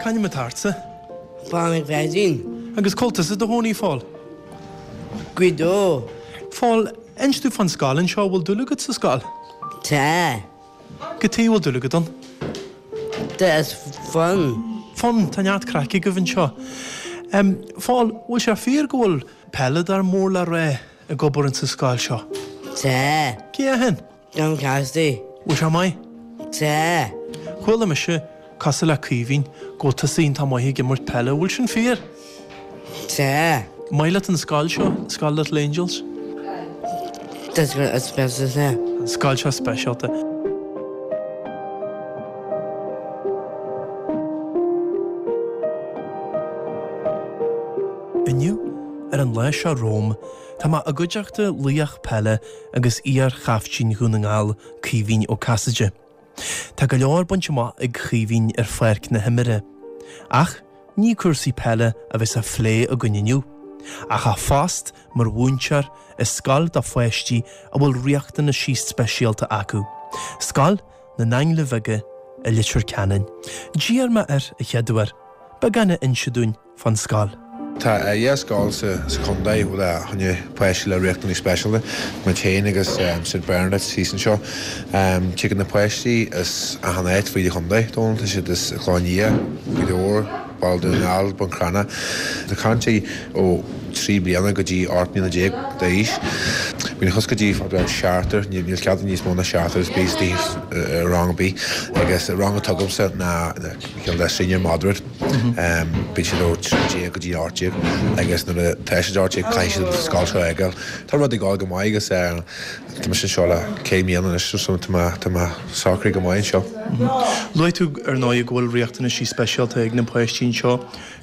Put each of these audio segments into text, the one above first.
C'ainm atá ortsa? Paul McFadden. Agus cá bhfuil tusa i do chónaí, Phól? Gaoth Dobhair. Phól, inis domh fán scoil anseo, bhfuil dúil agat sa scoil? Tá. Cad chuige a bhfuil dúil agat ann? Tá, is fun. Fun, tá neart craic agaibh anseo. Phól, bhfuil sé fíor go bhfuil peileadóir mór le rá ag obair insa scoil seo? Tá. Cé é shin? John Cassidy. Bhfuil sé maith? Tá. Chuala mise, cosúil le Caoimhín, go bhfuil tusa iontach maith ag imirt peile. Bhfuil sin fíor? Tá. Maith leat an scoil seo, Scoil Little Angels? Tá scoil speisialta. An scoil seo speisialta. Inniu, ar an lá seo romham, tá mé i gcuideachta laoch peile agus iar-chaiftín Dhún na nGall, Caoimhín Ó Casaide. Tá go leor bainte amach ag Caoimhín ar pháirc na himeartha. Ach ní cúrsaí peile a bheas á phlé againn inniu, ach a phost mar mhúinteoir i scoil do pháistí a bhfuil riachtanaisí speisialta acu, Scoil na nAinglithe Bheaga i Leitir Ceanainn. D'iarr mé air a chéaduair beagán a inse dúinn fán scoil. Tá 2 scoil sa chontae le choinne páistí le riachtanais speisialta, muid féin agus St Bernadette's thíos anseo. Tigeann na páistí as achan áit fríd an chontae, Dónal, tá siad as Cloich Cheann Fhaola, Gaoth Dobhair, Baile Dhún na nGall, Bun Cranncha. Tá caint ó 3 bliana go dtí 18 mbliana d'aois. Bíonn suas go dtí seachtar, níl cead níos mó ná seachtar is bíos i rang ar bith agus an rang atá agamsa ná cineál de senior moderate. Bíonn siad ó 13 go dtí 18 agus nuair a tá siad 18 caithfidh siad an scoil seo a fhágáil. Tá rud ag dul go maith agus tá mise anseo le 5 mbliana anois so tá mé tá mé socraithe go maith anseo. Luaigh tú ar ndóigh go bhfuil riachtanaisí speisialta ag na páistí anseo.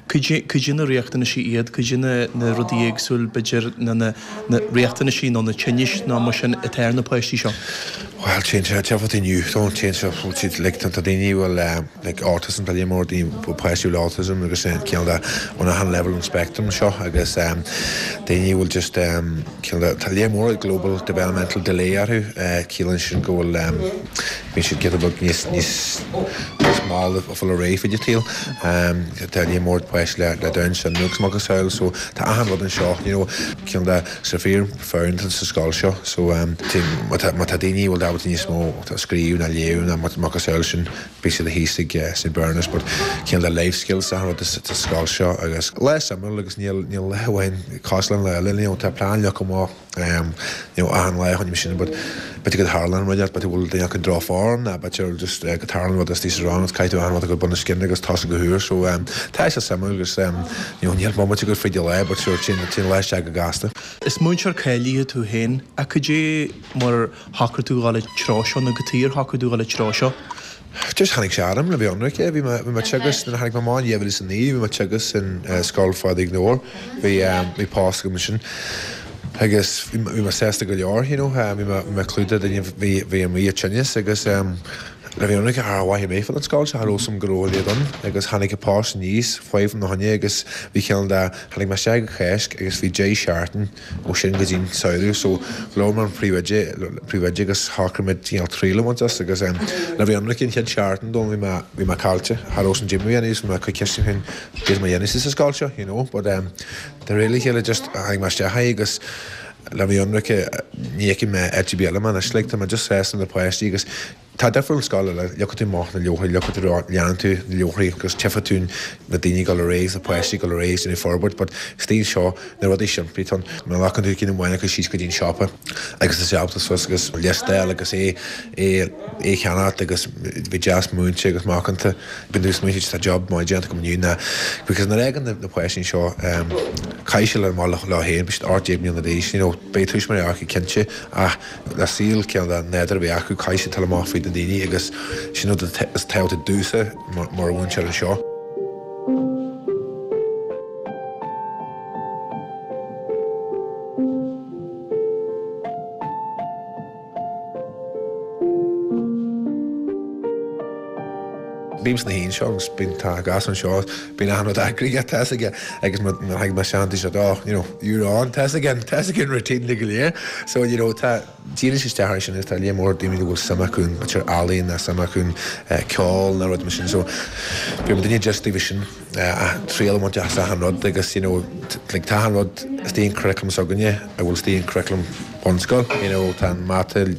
Cad é na riachtanaisí iad, cad é na na rudaí éagsúil b'fhéidir na na na riachtanaisí nó na tinnis nó mar sin atá ar na páistí seo? Bhuel téann sé téann inniu téann sé like tá daoine a bhfuil like autism tá líon mór daoine páistí le autism agus cineál de on achan level an spectrum seo agus daoine a bhfuil just cineál de tá líon mór global developmental delay orthu ciallaíonn sin go bhfuil bíonn siad giota beag níos níos níos mall a fáil ar aghaidh fríd an tsaol tá líon mór páistí le le Down syndrome agus macasamhail so tá achan rud anseo you know cineál de sa fíor foireann sa scoil seo so má tá má tá daoine a bhfuil ábalta níos mó scríobh ná léamh ná macasamhail sin Bhí siad thíos ag St Bernard's but cineál de life skills achan rud sa scoil seo agus lá suimiúil agus níl níl lá amháin cosúil le an lá eile you know tá plean leagtha amach you know achan lá chun sin but b'fhéidir go dtarlaíonn rud b'fhéidir go bhfuil duine acu droch-form ná b'fhéidir just go dtarlaíonn rud istigh sa rang agus caithfidh tú achan rud a chur bun na scine agus tosú go húr so tá sé suimiúil agus you know níl bomaite agat fríd an lá but sure téann téann lá isteach go gasta. Is múinteoir cáilithe tú féin ach cad é mar shocraigh tú dhul an treo seo nó cad chuige ar shocraigh tú dhul an treo seo? Just tháinig sé orm le bheith ionraic. Bhí mé bhí mé ag teagasc nuair a tháinig mé amach in 2009 bhí mé ag teagasc in Scoil Phádraig Nua Bhí bhí post agam ansin agus bhí bhí mé sásta go leor you know bhí mé bhí mé clúdaithe duine bhí bhí amuigh ag tinneas agus le bheith ionraic cha mhaith mé fán scoil seo cha raibh a fhios agam go raibh a leithéid ann agus tháinig an post aníos faoi na choinne agus bhí cineál de tháinig mé isteach ag Cáisc agus bhí 10 seachtain ó sin go dtí an samhradh so labhair mé an príomhoide príomhoide agus shocraigh muid cineál triail a bhaint as agus le bheith ionraic an chéad seachtain dom bhí mé bhí mé caillte cha raibh san gym a dhéanamh so bhí mé ag cur ceisteanna féin cad é mar a dhéanamh sa scoil seo you know but de réir a chéile just tháinig mé isteach é agus le bheith ionraic ní fheiceann mé áit ar bith eile mé anois like tá mé just sásta na páistí agus Tá difear ón scoil eile, leagfaidh tú amach na leabharthaí, leagfaidh tú, leanann tú na leabharthaí agus tchífidh tú na daoine ag dul ar aghaidh agus na páistí ag dul ar aghaidh agus déanamh forbairt but istigh anseo na rudaí simplí atá ann. Má ghlacann tú ceann amháin acu síos go dtí an siopa agus tá sé ábalta suas agus liostáil agus é é é cheannacht agus bheith deas múinte agus macánta. Bíonn tú ag smaointiú tá job maith déanta agam inniu ná because nuair a fhágann na páistí anseo caithfidh siad amach leo féin, beidh siad 18 mbliana d'aois, you know, beidh tuismitheoirí acu cinnte ach le saol cineál de nádúr a bheith acu, caithfidh siad dul amach fríd na daoine agus sin rud is tábhachtaí domhsa mar mhúinteoir anseo. Bím sna haon seo agus bíonn tá gas anseo, bíonn achan rud eagraithe, tá fhios aige agus nuair a thagann mé isteach dúirt siad oh you know you're on, tá fhios aige, tá fhios aige an routine go léir so you know tá. Díríonn sé isteach air sin agus tá lear mór daoine a bhfuil suim acu in b'fhéidir ealaín nó suim acu in ceol nó rud mar sin so bíonn duine just taobh sin triail a bhaint as achan rud agus you know like tá achan rud istigh in curriculum s'againne a bhfuil istigh in curriculum bunscoil you know tá an mata you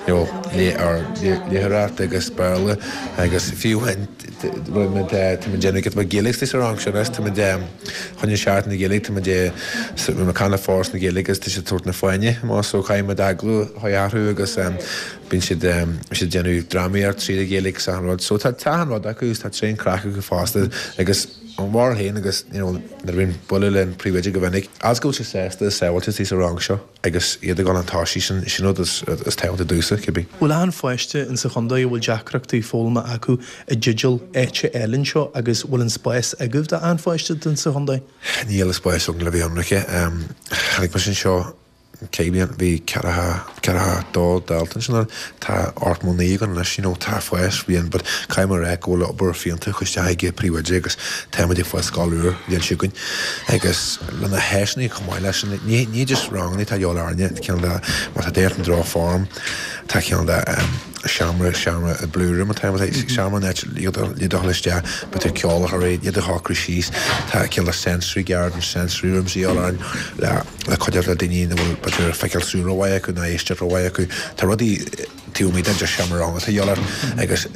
know léitheoireacht agus Béarla agus fiú amháin táimid déanamh giota beag Gaeilge istigh sa rang seo anois táimid choinne Seachtain na Gaeilge, tá muid ag caint le Foras na Gaeilge agus tá siad ag tabhairt na Fáinne amach so caithfidh muid agallamh a chur orthu agus bíonn siad bíonn siad ag déanamh drámaíocht tríd an Ghaeilge agus achan rud. So tá tá achan rud acu agus tá tréan craic acu fosta agus an bharúil féin agus you know nuair a bhíonn bualadh le an príomhoide go minic, as go bhfuil sé sásta is sábháilte istigh sa rang seo. Agus iad ag dul chun tosaigh, sin sin rud is tábhachtaí domhsa, cibé. Bhfuil achan pháiste insa chontae a bhfuil deacrachtaí foghlama acu i dteideal áite a fháil anseo agus bhfuil an spás agaibh d'achan pháiste insa chontae? Níl an spás againn le bheith ionraice. Tháinig mise anseo céad bliain, bhí ceathracha, ceathracha dó dalta ansin. Tá 89 againn anois, you know, tá fás bhíonn but caithfidh mé a rá go bhfuil obair fiúntach curtha isteach ag an príomhoide agus táimid ag fáil scoil úr an bhliain seo chugainn agus le na háiseanna chomh maith leis sin, ní ní just ranganna atá de dhíobháil orainne, cineál de má tá duine ar an droch-form tá cineál de seomra seomra blue room atá ann, seomra an áit le dul isteach b'fhéidir ceol a chur air, iad a shocrú síos, tá cineál de sensory garden, sensory rooms de dhíobháil orainn le le cuidiú le daoine nach bhfuil b'fhéidir feiceáil súl rómhaith acu ná éisteacht rómhaith acu. Tá rudaí taobh amuigh den just seomra ranga atá de dhíobháil orainn agus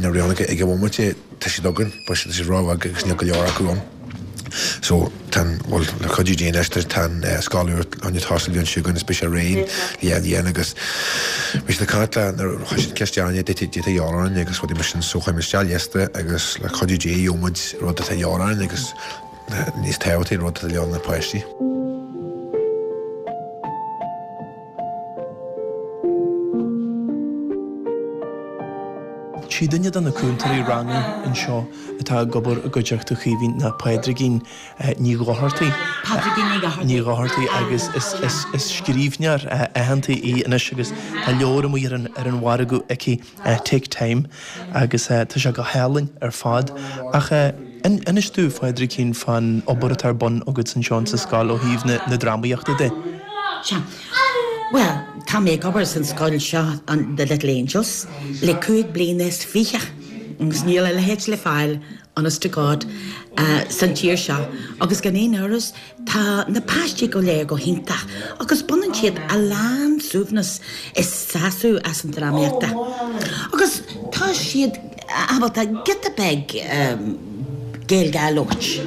na ranganna ag an bhomaite tá siad againn but tá siad róbheag agus níl go leor acu ann. So tá an, bhuel le cuidiú Dé anois tá an scoil úr chun tosú an bhliain seo chugainn is beidh sé réidh le bhliain agus bhí siad ag caint le nuair a chuir siad ceist orainne cad é atá de dhíobháil orainn agus rudaí mar sin so chuir muid isteach liosta agus le cuidiú Dé gheobhaidh muid rud atá de dhíobháil orainn agus Níos tábhachtaí an rud atá de dhíobháil ar na páistí. Sí duine de na cúntóirí ranga anseo atá ag obair i gcuideachta Chaoimhín ná Pádraigín Ní Dhochartaigh. Pádraigín Ní Dhochartaigh. Ní Dhochartaigh agus is scríbhneoir aitheanta í anois agus tá leabhar amuigh ar an mhargadh aici. Take Time agus tá sé go hálainn ar fad. Ach inis domh, a Phádraigín, fán obair atá ar bun agat anseo insa scoil ó thaobh na drámaíochta de. Sea. Bhuel, tá mé ag obair san scoil seo, an The Little Angels, le 25 bliana agus níl a leithéid le fáil, honest to God, san tír seo agus gan aon amhras Tá na páistí go léir go hiontach agus baineann siad a lán suaimhneas is sásamh as an drámaíochta. Agus tá siad ábalta giota beag Gaeilge a labhairt.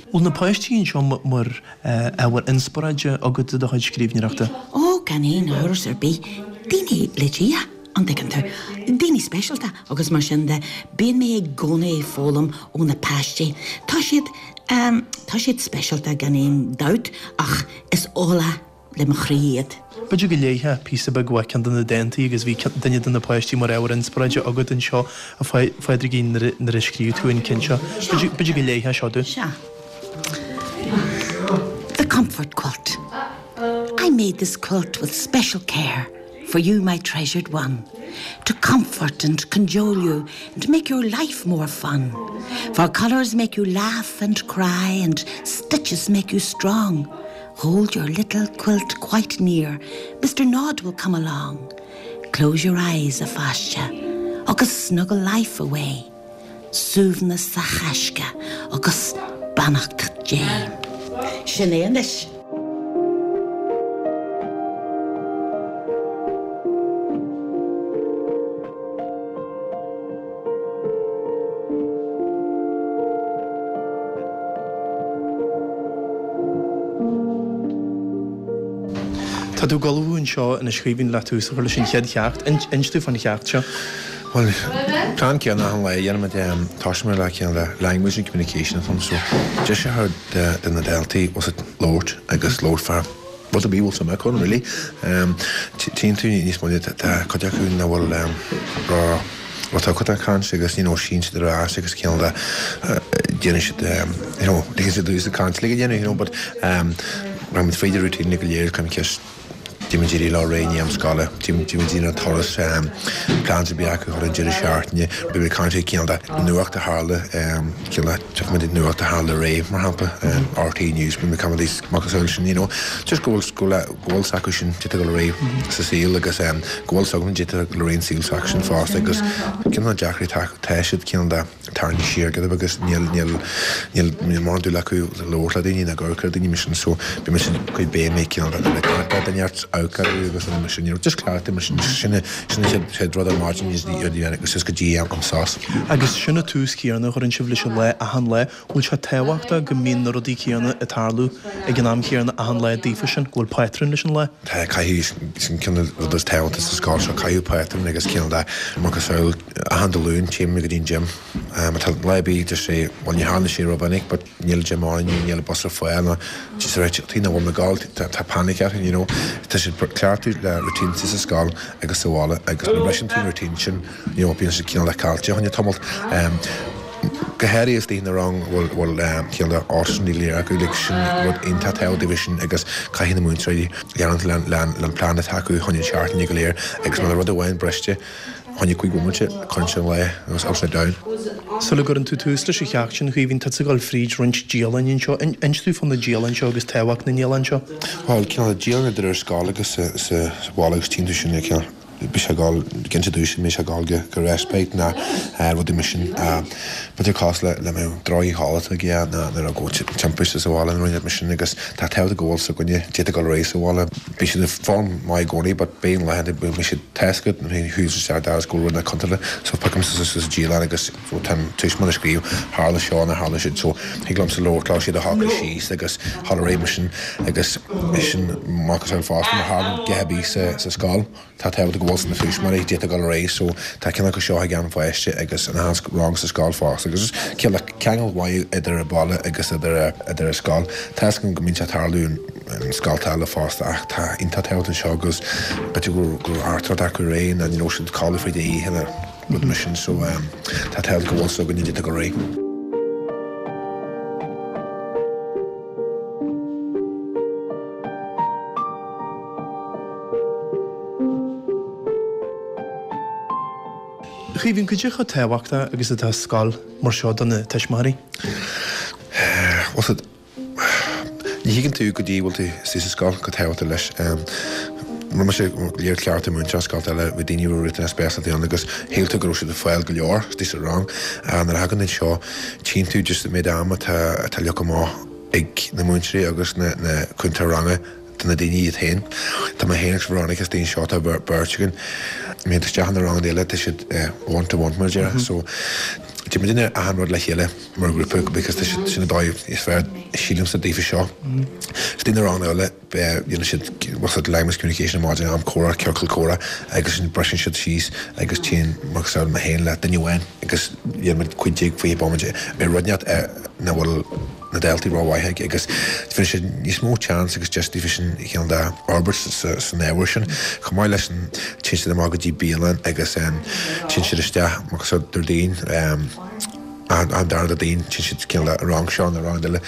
Bhfuil na páistí anseo mar ábhar inspioráide agat do do chuid scríbhneoireachta? Ó, gan aon amhras ar bith. Daoine le Dia, an dtuigeann tú. Daoine speisialta agus mar sin de. Bíonn mé i gcónaí ag foghlaim ó na páistí. Tá siad. Tá siad speisialta gan aon dabht ach is ola le mo chroí iad. B'fhéidir go léifeá píosa beag uaidh ceann de na dántaí agus bhí duine de na páistí mar ábhar inspioráide agat anseo, a Phádraigín, nuair a scríobh tú an ceann seo. B'fhéidir go léifeá seo dúinn. Sea. The Comfort Quilt. I made this quilt with special care for you, my treasured one, to comfort and cajole you and make your life more fun. For colours make you laugh and cry and stitches make you strong. Hold your little quilt quite near, Mr. Nod will come along. Close your eyes, a pháiste, agus snuggle life away. Suaimhneas sa thaisce agus beannacht Dé. Sin é anois. Tá tú ag ullmhú anseo anois a Chaoimhín le tús a chur leis an chéad cheacht. Inis domh fán cheacht seo. Bhuel, plean céanna achan lá a dhéanaimid, tosaímid le cineál de language and communication atá ann so deis a thabhairt do na daltaí bhfuil siad labhairt agus labhairt fá rud ar bith a bhfuil suim acu ann really. Tchíonn tú níos moille tá cuid acu nach bhfuil ró ró-tugtha don chaint agus you know síneann siad ar ais agus cineál de déanann siad you know ligeann siad dúinn caint like a dhéanamh you know but rachaimid fríd an routine go léir caithfimid ceist. Téimid éirí leo réidh i ndiaidh am scoile, téimid ar turas, plans a bhí acu chun an deireadh seachtaine, bímid ag caint ar cineál de nuacht a tharla, cineál de tiocfaimid ar nuacht a tharla aréir, mar shampla, RTÉ News, bímid ag caint macasamhail sin, you know, just go bhfuil, go bhfuil, go bhfuil 's acu sin cad tá ag dul ar aghaidh sa saol agus go bhfuil 's againn cad tá ag dul ar aghaidh an saol s'acu sin fosta agus cineál na deacrachtaí atá acu, tá siad cineál de. tarraingthe siar giota beag agus níl, níl, níl, níl mórán dúil acu labhairt le daoine ná amharc ar daoine mar sin so bíonn mise cuid béim ag cineál de le caint le duine ort amharc orthu agus rudaí mar sin, you know, just cleachtadh mar sin, sin an, sin an chéad, chéad rud ar maidin is agus just go dtí am sos. Agus sin an tús céanna a chuireann sibh leis an lá achan lá. Bhfuil sé tábhachtach go mbíonn na rudaí céanna ag tarlú ag an am chéanna achan lá daofa sin, go bhfuil pátrún leis an lá? Tá, caithfidh, sin ceann de na rudaí is tábhachtaí sa scoil seo, caithfidh pátrún agus cineál de macasamhail achan Dé Luain, téim go dtí an gym. Má tá lá ar bith just say, bhuel ní tharla sé rómhinic but níl gym ann inniu, níl bus ar fáil nó just right, tuige nach bhfuil mé ag gabháil, tá panic orthu, you know. Tá siad cleachtadh le routines sa scoil agus sa bhaile agus má bhriseann tú an routine sin, you know, bíonn siad cineál de caillte fá choinne tamalt. Go háirithe istigh ina rang a bhfuil bhfuil cineál de autism ní léir acu, like sin rud iontach tábhachtach daofa sin agus caithfidh na múinteoirí leanúint le le le an plean atá acu chun an seachtaine go léir agus má tá rud amháin briste fá choinne 5 bhomaite cuireann sé an lá agus upside down. Sula gcuireann tú tús leis an cheacht sin, a Chaoimhín, tá tú ag dul fríd roinnt dialann anseo. Inis dúinn fá na dialann seo agus tábhacht na ndialann seo. Bhuel, cineál de dialann idir ar scoil agus sa sa bhaile agus tchíonn tú sin cineál. Bhí sé ag dul, cinnte dúis, bhí sé ag dul go respite ná rudaí mar sin. B'fhéidir cás le le mbeadh droch-chodlata aige ná nuair a raibh timpiste sa bhaile nó rud mar sin agus tá tábhacht go bhfuil 's againne cad tá ag dul ar aghaidh sa bhaile. Bhí siad ag foghlaim maith i gcónaí but beidh an laethanta go mbeidh siad tá 's agat nuair a chuaigh isteach doras go bhfuil rud nach contúirteach so piocaim suas sa dialann agus so tá an tuismitheoir ag scríobh tharla seo nó tharla siúd so thig liomsa labhairt leo siad a shocrú síos agus dhul ar aghaidh mar sin agus sin macasamhail fosta má tharlaíonn a dhath ar bith sa sa scoil tá tábhacht go bhfuil 's ag na tuismitheoirí cad tá ag dul ar aghaidh so tá ceann acu seo ag an pháiste agus in achan rang sa scoil fosta agus cineál ceangal mhaith idir an baile agus idir idir an scoil. Tá 's agam go mbíonn sé ag tarlú in scolta eile fosta ach tá iontach tábhacht anseo agus b'fhéidir go go raibh artaireacht acu aréir nó ní raibh siad ag codladh fríd an oíche nó rud mar sin so tá tábhacht go bhfuil 's againne cad tá ag dul ar aghaidh. A Chaoimhín, cad é chomh tábhachtach agus atá scoil mar seo do na tuismitheoirí? Bhuel, ní thuigeann tú go dtí bhfuil tú istigh sa scoil chomh tábhachtach leis. Rinne mise léir cleachtadh múinteoir scoilte eile, bhí daoine a raibh riachtanais speisialta ann agus shíl tú go raibh siad ag fáil go leor istigh sa rang. Nuair a thagann tú anseo, tchíonn tú just an méid ama atá atá leagtha amach ag na múinteoirí agus na na cúntóirí ranga do na daoine iad féin. Tá mé féin agus Veronica istigh anseo, tá beirt againn. Má théann tú isteach in na ranganna eile, tá siad one to one mar a déarfá. So, déanann muidne achan rud le chéile mar ghrúpa because tá siad, sin an dóigh is fearr sílimse daofa seo. Istigh na ranganna eile, déanann siad, what's it, language communication ar maidin, am comhrá, ciorcal comhrá agus sin briseann siad síos agus téann macasamhail mé féin le duine amháin agus déanann muid 15, 20 bomaite ar rud inteacht nach bhfuil na daltaí rómhaith ag agus bhí siad níos mó chance agus deis daofa sin cineál de fhorbairt san ábhar sin. Chomh maith leis sin téann siad amach go dtí bialann agus téann siad isteach macasamhail Déardaoin an dara Déardaoin téann siad cineál de rang seo nó rang eile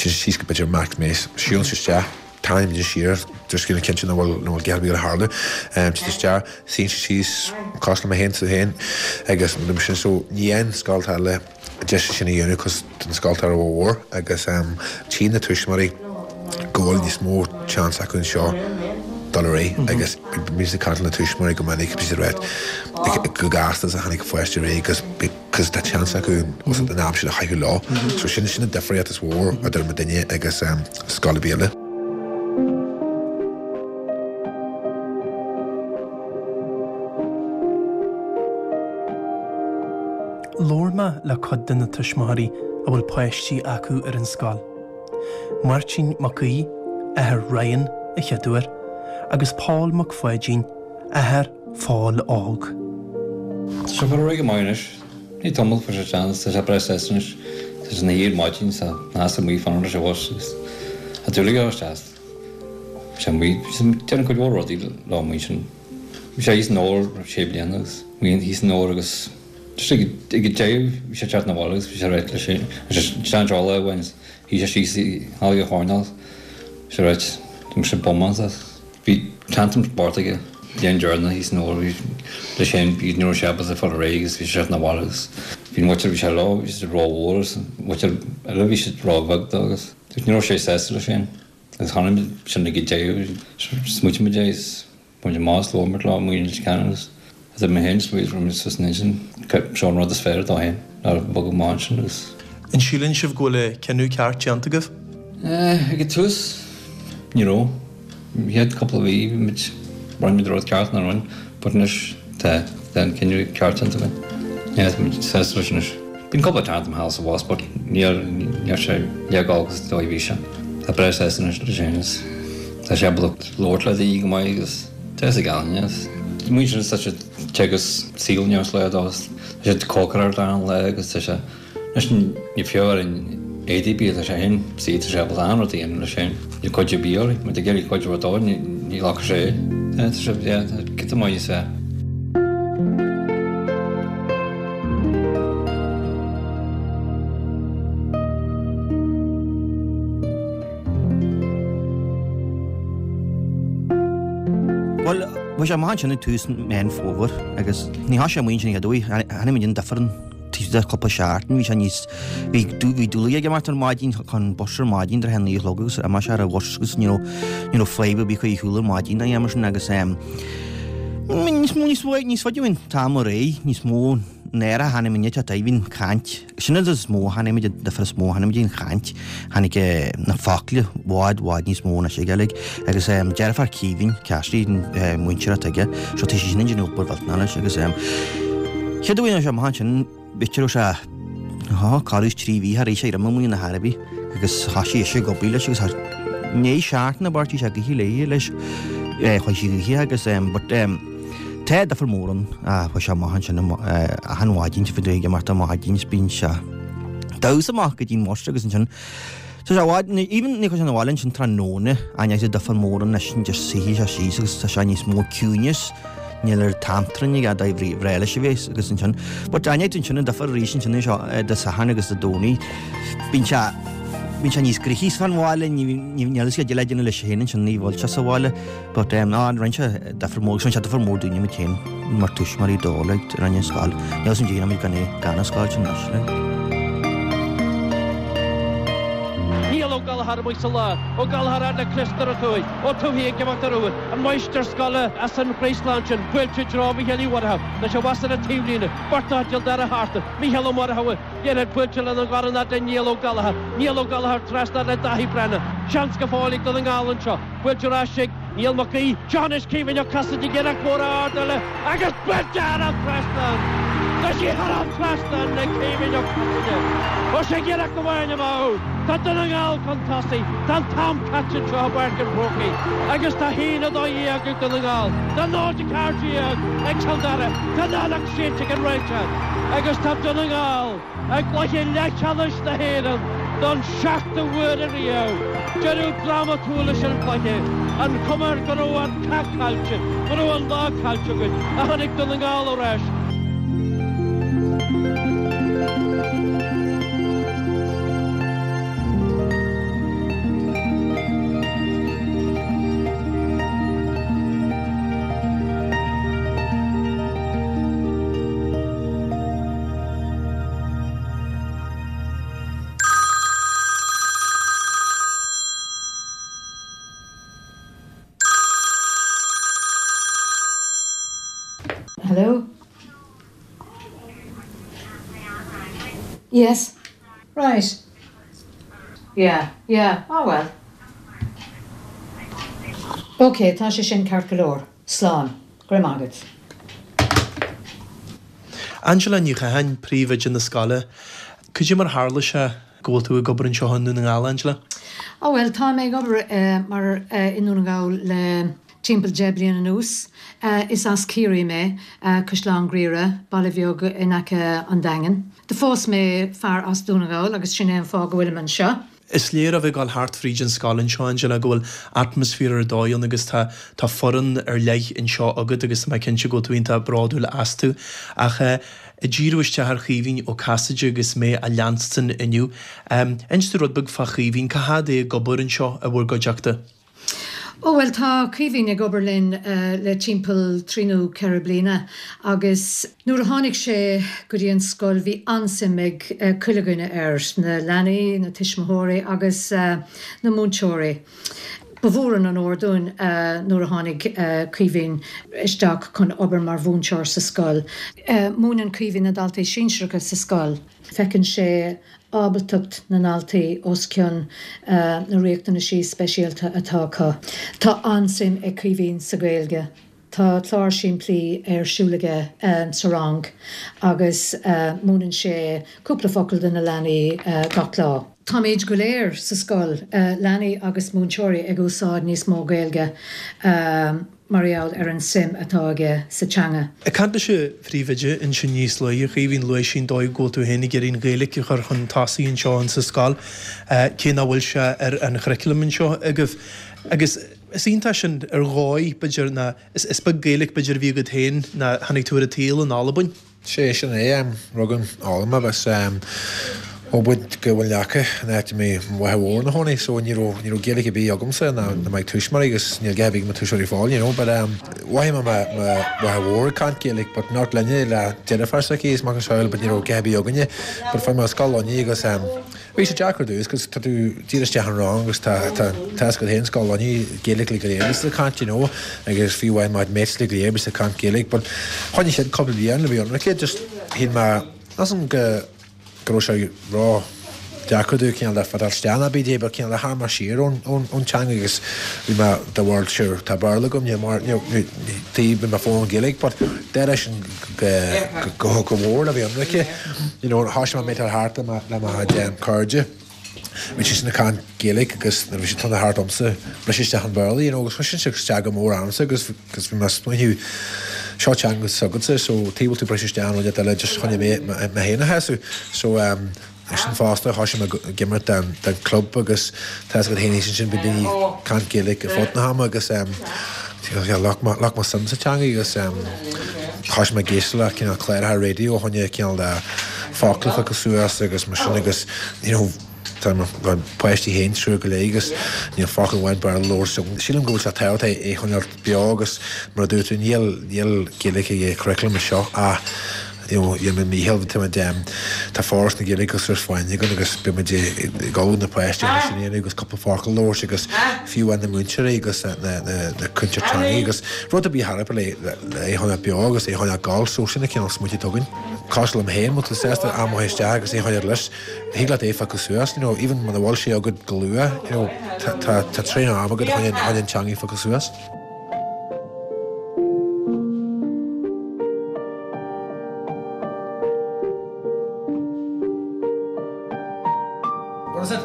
téann siad síos go b'fhéidir Mac Mace siúlann siad isteach tarraingíonn muid siar just cineál cinnte nach bhfuil nach bhfuil a dhath ar bith ag tarlú téann siad isteach suíonn siad síos cosúil le mé féin tú féin agus mar sin so ní aon scoil eile deis sin a dhéanamh cos tá an scoil rómhór agus tchíonn na tuismitheoirí go bhfuil níos mó chance acu anseo dul ar aghaidh agus bíonn siad ag caint le na tuismitheoirí go minic bíonn siad ag rá go gasta is a tháinig an pháiste ar aghaidh agus cos tá chance acu an am sin a chaitheamh leo. So sin sin an difríocht is mhór idir muidinne agus scoil ar bith eile. Labhair mé le cuid de na tuismitheoirí a bhfuil páistí acu ar an scoil. Máirtín Mac Aoidh, athair Ryan, a chéaduair, agus Pól Mac Pháidín, athair Phóil Óg. Tá sé ag dul ar aghaidh go maith anois. Ní tamall fuair sé seans, tá sé breá sásta anois. Tá sé ina shuí ar maidin, tá nás amuigh fanacht leis an bhus agus tá dúil aige isteach. Bhí sé amuigh, déanann cuid mhór rudaí leo amuigh ansin. Bhí sé thíos in Dobhar sé bliana agus amuigh thíos in Dobhar agus just ag ag an deireadh bhí sé ag teacht 'na bhaile agus bhí sé right leis an sean-seoladh a bhain shuigh sé síos i halla an choirnéil. Bhí sé right, bhí sé bun as. Bhí. Tantrum spóirt aige bliain deireanach thíos in Óir leis féin bhí ní raibh sé ábalta fáil ar aghaidh agus bhí sé 'na bhaile agus bhí an mhuintir bhí sé leo bhí siad ró-mhór agus an mhuintir eile bhí siad ró-bheag dó agus ní raibh sé sásta leis féin agus chonaic muid sin ag an deireadh smaoitigh muid é agus muid amach is labhair muid leo amuigh in Leitir Ceanainn agus idir mé féin is Louise raibh muid suas in intinn seo an rud is fearr dó féin ná bogadh amach ansin agus. An síleann sibh go bhfuil an cinneadh ceart déanta agaibh? Ag an tús ní raibh. An chéad cúpla mhí bhí muid, rinne muid an rud ceart nach rinne, but anois tá, tá an cinneadh ceart déanta againn. Yeah, tá muid sásta leis anois. Bíonn cúpla tantrum thall is abhus but níl, níl sé le dhul agus dóigh a bhí sé. Tá breá sásta anois leis féin is tá sé ábalta labhairt le daoine go maith agus tá fhios ag Alan, yes. Muintir tá sé ag teagasc saol neamhspleách dó agus tá sé ag cócaireacht achan lá agus tá sé Anois ní fiú ar an éadaí bia tá sé féin sea tá sé ábalta an rud a dhéanamh leis féin. Níl cuidiú ar bith orainn, má tá ag iarraidh cuidiú dó ní ghlacfaidh sé é. Tá sé yeah tá giota maith níos fearr. Bhuel, bhí sé amach ansin ag tús Meán Fómhair agus ní tha sé amuigh ansin a chéad uair, tháinig muid an difear an. taobh de cúpla seachtain, bhí sé níos, bhí, bhí dúil aige imeacht ar maidin chun bus ar maidin tráth a 9 a chlog agus imeoidh sé ar an bhus agus ní raibh, ní raibh fadhb ar bith chuige shiúl ar maidin ná mar sin agus ehm níos mó, níos mó, níos faide an t-am ar aghaidh, níos mó náire a tháinig muid at bhí'n chaint, sin an is mó a tháinig muid, an difear is mó a tháinig muid an chaint, tháinig na focla i bhfad, bhfad níos mó anois aige like agus ehm deirfiúr Caoimhín, Cassidy, múinteoir atá aige, so tá sí sin ag déanamh obair mhillteanach leis agus ehm chéad uair a sé amach ansin b'fhéidir raibh sé thá corradh is 3 mhí thar éis éirí amuigh ina thairbhí agus thoisigh ise ag obair leis agus thar ndiaidh seachtaine b'fhéidir bhí sé ag ithe léi leis chuaigh sí ag ithe agus ehm but ehm tá difear mór ann chuaigh sé amach ansin achan mhaidin bhí ag imeacht ar maidin is bíonn sé damhsa amach go dtí an bhus agus ansin Tá sé i bhfad, even ní chuir sé 'na bhaile ansin tráthnóna, aithneoidh sé difear mór anois an just suífidh sé síos agus tá sé níos mó ciúineas, níl ar tantrum aige dá bhreá leis a bheith agus ansin, but aithneoidh tú ansin an difear arís ansin anseo Dé Sathairn agus Dé Domhnaigh, bíonn sé, bíonn sé níos gnoithí fán bhaile, ní, níl fhios aige le déanamh leis féin ansin, ní bhfuil sé sa bhaile. But em á rinne sé difear mór agus rinne sé difear mór dúinne muid féin mar tuismitheoirí dó like rinne an scoil. Níl fhios agam dé gan é gan an scoil sin anois like. Niall Ó Gallchóir amuigh sa lár, Ó Gallchóir fhad le Chris Ó Tuathaigh, Ó Tuathaigh ag imeacht ar úr, an máistir scoile as an Chraoslán sin, buailte i dtreo Mhícheál Uí Mhuireadhaigh, tá sé abhus ar an taobhlíne, beirt as Cill Dara thart, Mícheál Ó Muireadhaigh, Liathróid buailte lena dhorn fhad le Niall Ó Gallchóir, Niall Ó Gallchóir trasna le Dáithí Breathnach, seans go fóill ag Dún na nGall anseo. Buailte ar ais ag Niall Mac Aoidh. Seo anois Caoimhín Ó Casaide ag iarracht mhór ard eile agus buailte thar an trasnán! Tá sí thar an trasnán ag Caoimhín Ó Casaide. Ó sé iarracht amháin amú. Tá Dún na nGall chun tosaigh. Tá an t-am caite anseo i bPáirc an Chrócaigh agus tá 1-12 ag Dún na nGall. Tá 0-14 ag Cill Dara. Tá an fheadóg séidte ag an réiteoir agus tá Dún na nGall I gcluiche leathcheannais na hÉireann don seachtú huair ariamh, deireadh drámatúil leis an gcluiche, an chuma air go raibh an cath caillte, go raibh an lá caillte againn, ach tháinig Dún na nGall ar ais. Hello? Yes. Right. Yeah, yeah, oh well. Ok, tá sé sin ceart go leor. Slán. Go raibh maith agat. Angela Ní Chatháin, Príomhoide na scoile. Cad é mar tharla sé go bhfuil tú ag obair anseo i nDún na nGall, Angela? Ó bhuel, tá mé ag obair mar i nDún na nGall le timpeall 10 bliain anuas. Is as Ciarraí mé, Caisleán Ghriaire, baile bheag in aice an Daingin. Do phós mé fear as Dún na nGall agus sin é an fáth go bhfuilim anseo. Is léir ó bheith ag dul thart fríd an scoil anseo, Angela, go bhfuil atmaisféar ar dóigh ann agus tá tá foireann ar leith anseo agat agus tá mé cinnte go bhfuil tú iontach bródúil astu. Ach ag díriú isteach ar Chaoimhín Ó Casaide agus mé á leanstan inniu, inis domh rud beag fá Chaoimhín, cá fhad é ag obair anseo i bhur gcuideachta? Ó bhuel tá Caoimhín ag obair linn le timpeall 3 nó 4 bliana agus nuair a tháinig sé go dtí an scoil bhí an-suim ag chuile dhuine air, na leanaí, na tuismitheoirí agus na múinteoirí. Ba mhór an onóir dúinn nuair a tháinig Caoimhín isteach chun obair mar mhúinteoir sa scoil. Múineann Caoimhín na daltaí sinsearacha sa scoil. Feiceann sé ábaltacht na ndaltaí os cionn na riachtanaisí speisialta atá acu. Tá an-suim ag Caoimhín sa Ghaeilge. Tá clár simplí ar siúl aige sa rang agus múineann sé cúpla focal do na leanaí gach lá. Táimid go léir sa scoil, leanaí agus múinteoirí, ag úsáid níos mó Gaeilge. mar gheall ar an suim atá aige sa teanga. Ag caint leis an phríomhoide ansin níos luaithe, a Chaoimhín, luaigh sí an dóigh go bhfuil tú féin ag iarraidh an Ghaeilge a chur chun tosaigh anseo insa scoil, cé nach bhfuil sé ar an churriculum anseo agaibh. Agus is iontach sin ar dhóigh, b'fhéidir, ná is beag Gaeilge b'fhéidir a bhí agat féin ná tháinig tú ar an tsaol in Albain. Sé sin é, rugadh in Albain mé agus ó muid go Muileann Eacha an áit a mbíodh mo mháthair mhór ina chónaí so ní raibh ní raibh Gaeilge ar bith agamsa ná ná mo thuismitheoirí agus níl a dhath ar bith ag mo tuismitheoirí fáil you know but mhothaigh mé mo mo mháthair mhór ag caint Gaeilge but not linne le deirfiúr s'aici is macasamhail but ní raibh a dhath ar bith againne but fuair mé scoil Luinnigh agus Bhí sé deacair ar dtús 'cause tá tú díreach isteach an rang agus tá tá tá fhios agat féin scoil Luinnigh Gaeilge le go léir bíos ag caint you know agus fiú amháin my mates le go léir bíos ag caint Gaeilge but choinnigh siad cúpla bliain le bheith ionraice just shíl mé measaim go go raibh sé ró deacair domh cineál de fadal isteach ná bídé but cineál de tharraing mé siar ón ón ón teanga agus bhí mé de bharr sure tá Béarla agam níl mar níl ní taobh bhí mé foghlaim Gaeilge but d'éirigh sin go go mór le bheith ionraice. You know, thoisigh mé ag thart le mo le mo chuid cairde. Bhí siad ag caint Gaeilge agus nuair a bhí siad tonna thart ormsa, bhris isteach an Béarla, you know, agus chuir sin isteach go mór ormsa agus agus bhí mé ag smaoineamh seo teanga s'agatsa so tuige bhfuil tú ag briseadh isteach an rud eile just chun mé mé féin a shásamh. So um, Ansin fosta thoisigh mé ag imirt don club agus tá fhios agat féin ansin bíonn daoine ag caint Gaeilge ar fud na hama agus ghlac mé suim sa teanga agus thoisigh mé ag éisteacht le cineál cláracha raidió a choinne cineál de focla a phiocadh suas agus mar sin agus you know tá mo páistí féin triúr go leith agus níl focal amháin Béarla labhairt agam. Sílim go bhfuil sé tábhachtach é a choinneáil beo agus mar a dúirt tú níl níl Gaeilge ag curriculum anseo ach you know dhein muid Mícheál tá muid em tá Foras na Gaeilge agus Ros Fáinne againn agus beidh muid ag ullmhú na páistí agus sin a dhéanamh agus cúpla focal a labhairt agus fiú amháin na múinteoirí agus na na na na cúinteoirí teanga agus rud ar bith thar le le é a choinneáil beo agus é a choinneáil ag gabháil so sin an cineál smaointe atá againn. Cosúil liom féin, má tá tú sásta am a chur isteach agus é a choinneáil leis, thig leat é a phiocadh suas, you know, even muna bhfuil sé agat go luath, you know, tá tá tá tréan am agat chun chun an teanga a phiocadh suas. What is it?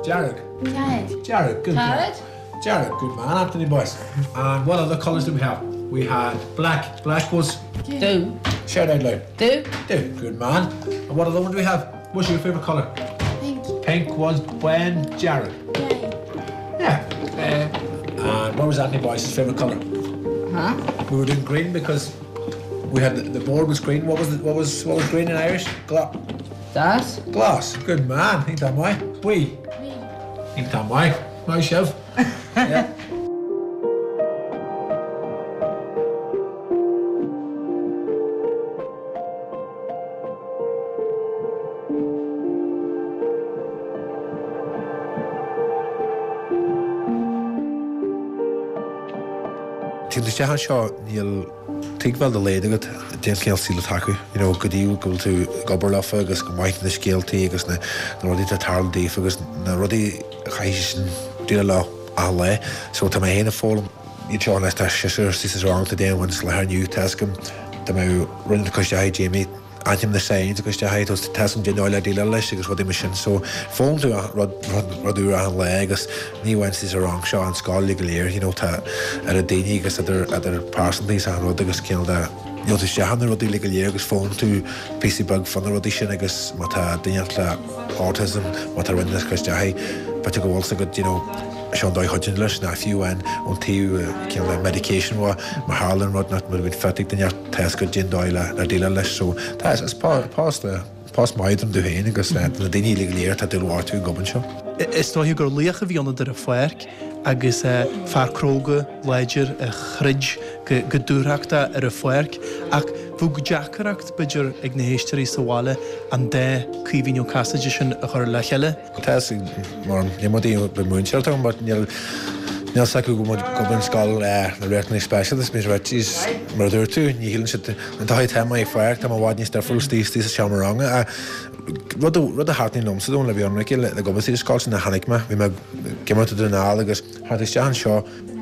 Dearg. Dearg. Dearg, good Dearg. Dearg, good man, Anthony Boyce. And what other colours do we have? We had black. Black was? Dubh. Shout out loud. Dubh. Dubh, good man. And what other one do we have? What's your favourite colour? Pink. Pink was bándearg. Yeah. Yeah. And what was Anthony Boyce's favourite colour? Huh? We were doing green because we had the, the board was green. What was the, what was what was green in Irish? Gla Glas. Glas. Good man. Think that way. Buí. Think that way. Maith sibh. Yeah. Taobh isteach anseo níl tuigbheáil dá laghad agat cén cineál saoil atá acu, you know, go dtí go bhfuil tú ag obair leofa agus go maith na scéaltaí agus na rudaí atá ag tarlú daofa agus na rudaí a chaithfidh siad sin déileáil leo achan lá. So tá mé féin ag foghlaim iad seo anois, tá seisear sa rang tá duine amháin sa láthair inniu, tá 'fhios agam dá mbeadh rud ag cur isteach ag Jamie, Aithním na signs agus de tá 'fhios agam cén dóigh le déileáil leis agus rudaí mar sin so foghlaim tú rud rud úr achan lá agus ní amháin sa rang seo an scoil go léir you know tá idir daoine agus idir idir pearsantaí is achan rud agus cineál de níl tú isteach na rudaí le go léir agus foghlaim tú píosa beag fá na rudaí sin agus má tá duine le autism má tá rud ag cur isteach air b'fhéidir go bhfuil 's agat you know seo an dóigh a chuidíonn leis ná fiú amháin ón taobh cineál de medication má tharlaíonn rud nach bhfuil fit ag duine Tá 'fhios agat cén dóigh le déileáil leis so tá is post post maith dom domh féin agus do na daoine uilig go léir atá ag dul orthu ag obair anseo. Is dóiche gur laoch a bhí ionat ar an pháirc. agus fear cróga, láidir a throid go dúthrachtach ar an pháirc ach bheadh deacracht, b'fhéidir, ag na héisteoirí sa bhaile an dá Caoimhín Ó Casaide sin a chur le chéile. Tá a fhios mar níl muid ag múinteoir atá ann but níl níl a fhios acu go bhfuil gurb in scoil le riachtanais speisialta is bíonn siad mar a dúirt tú ní shíleann siad an dóigh atá mé ag pháirc tá mé i bhfad níos difriúil istigh istigh sa seomra ranga ach rud a rud a thaitníonn liomsa dó le bheith ionraic le go bhfuil sa scoil sin a chonaic mé bhí mé ag imirt i Dún na nGall agus tháinig isteach anseo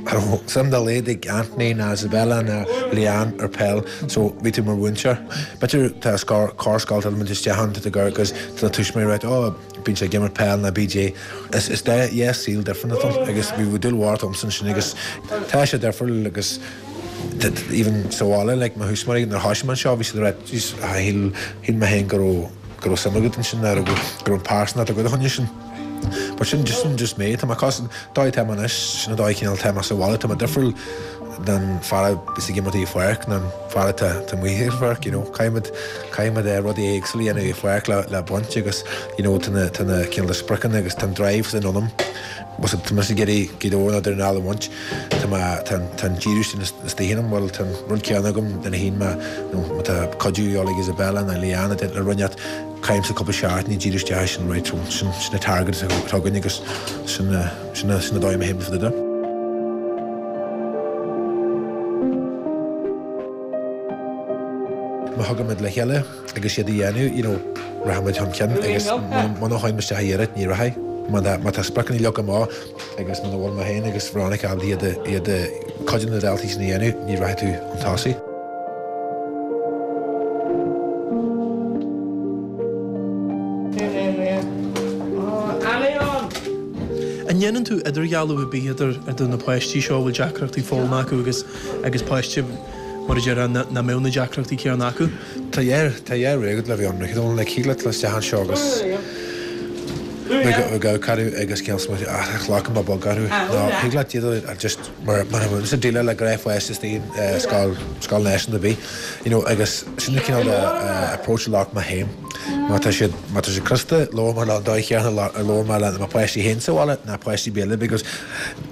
Cha raibh suim dá laghad ag Anthony ná Isabella ná Leanne ar peil so bhí tú mar mhúinteoir. B'fhéidir tá corr scoil tá muid isteach ann tá tú agus tá na tuismitheoirí ag ráit oh bíonn sé ag imirt peil ná BJ. Is is dá yes saol difriúil atá ann agus bhí dúil mhór agamsa ansin agus tá sé difriúil agus even sa bhaile like mo thuismitheoirí nuair a thoisigh mé anseo bhí siad ag ráit jeez shíl shíl mé féin go raibh go raibh suim agat ansin nó go raibh an pearsantacht agat a choinne sin. But sin just sin just mé. Tá mé cos dóigh atá mé anois, sin an dóigh cineál atá mé sa bhaile. Tá mé difriúil den fear a bhíos ag imirt i pháirc ná an fear atá atá amuigh ar pháirc, you know. Caithfimid caithfimid eh rudaí éagsúla a dhéanamh i pháirc le le baint agus you know tá na tá na cineál de spriocanna agus tá an drive sin ionam. Bhuel tá mise ag iarraidh Gaoth Dobhair nó Dún na nGall a bhaint. Tá mé tá an tá an díriú sin istigh ionam. Bhuel tá an rud céanna agam nuair a théann mé nó má tá cuidiú ag Isabella nó Leanne le roinnt Caithimse cúpla seachtain ag díriú isteach sin right so sin sin an target atá againn agus sin sin sin an dóigh a théimid fá dtaobh de. Má thagaimid le chéile agus iad a dhéanamh you know rachaimid chun cinn agus muna théann isteach a iarraidh ní rachaidh. Má tá má tá spriocanna leagtha amach agus muna bhfuil mé féin agus Veronica ábalta iad a iad a cuid de na daltaí sin a dhéanamh ní rachaidh tú chun tosaigh. An ndéanann tú idirdhealú ar bith idir idir na páistí seo a bhfuil deacrachtaí foghlama acu agus agus páistí, mar a déarfá, nach mbeadh na deacrachtaí céanna acu? Tá dhá tá dhá rogha agat le bheith ionraic. Don't like thig leat dul isteach anseo agus ag amharc orthu agus cineál smaointiú ah tá cloch mo bog orthu. Nó thig leat iad a just Mar mar a bhfuil déileáil le gnáthpháiste istigh i scoil, scoil náisiúnta ar bith, you know, agus sin an cineál de approach a ghlac mé féin. Má tá siad, má tá siad crosta, labhair mé leo an dóigh chéanna a labhair mé le mo pháistí féin sa bhaile ná páistí ar bith eile because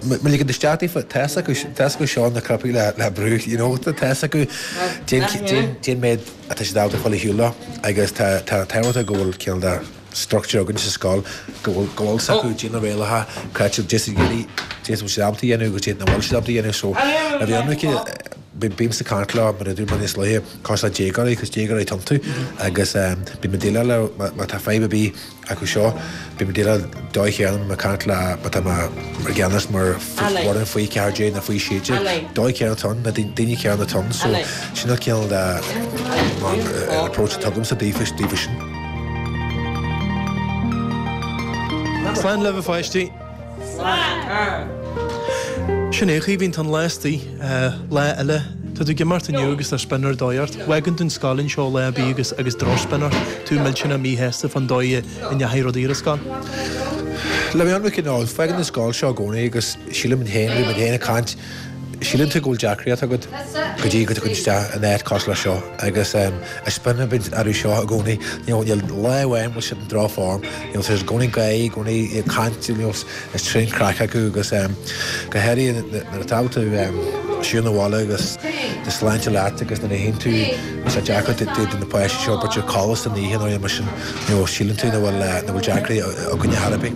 má ligeann tú isteach daofa, tá fhios acu, tá fhios acu seo na cnaipí le, le brú, you know, tá fhios acu cén, cén, cén méid atá siad ábalta fáil ar shiúl leo agus tá, tá tábhacht go bhfuil cineál de, structure againn sa scoil go bhfuil go bhfuil 's acu cad é na rialacha cad tá siad ag iarraidh cad é bhfuil siad ábalta a dhéanamh agus cad é nach bhfuil siad ábalta a dhéanamh so le bheith ionraic bímse ag caint leo mar a dúirt mé níos luaithe cosúil le déagóirí cos déagóirí atá iontu agus bím ag déileáil leo má tá fadhb ar bith acu seo bím ag déileáil dóigh chéanna ag caint le má tá mé mar gceannas mar fhoireann faoi 14 nó faoi 16 dóigh chéanna atá ann na daoine céanna atá ann so sin an cineál de approach atá agamsa daofa daofa sin. Slán libh a pháistí. Slán. Sin é, a Chaoimhín, tá an lá istigh. Lá eile. Tá tú ag imeacht inniu agus tá spion ar dóigh ort. Fágann tú an scoil anseo lá ar bith agus agus drochspion ort. Tú millteanach míshásta fán dóigh a ndeachaigh rudaí ar an scoil. Le bheith ionraic, no, fágann an scoil seo i gcónaí agus sílim féin, bhí muid féin ag caint, Síleann tú go bhfuil deacracht agat go dtí go dtagann isteach in áit cosúil le seo agus is spion a bhíonn orthu seo i gcónaí. You know, níl lá amháin bhfuil siad in droch-form. You know, tá siad i gcónaí ag gáirí, i gcónaí ag caint, you know, is tréan craic acu agus go háirithe nuair atá tú siúl na bhaile agus do sláinte leat agus nuair a théann tú tá sé deacair do na páistí seo b'fhéidir codladh san oíche nó mar sin, you know, síleann tú nach bhfuil nach bhfuil deacracht againne ar chor ar bith.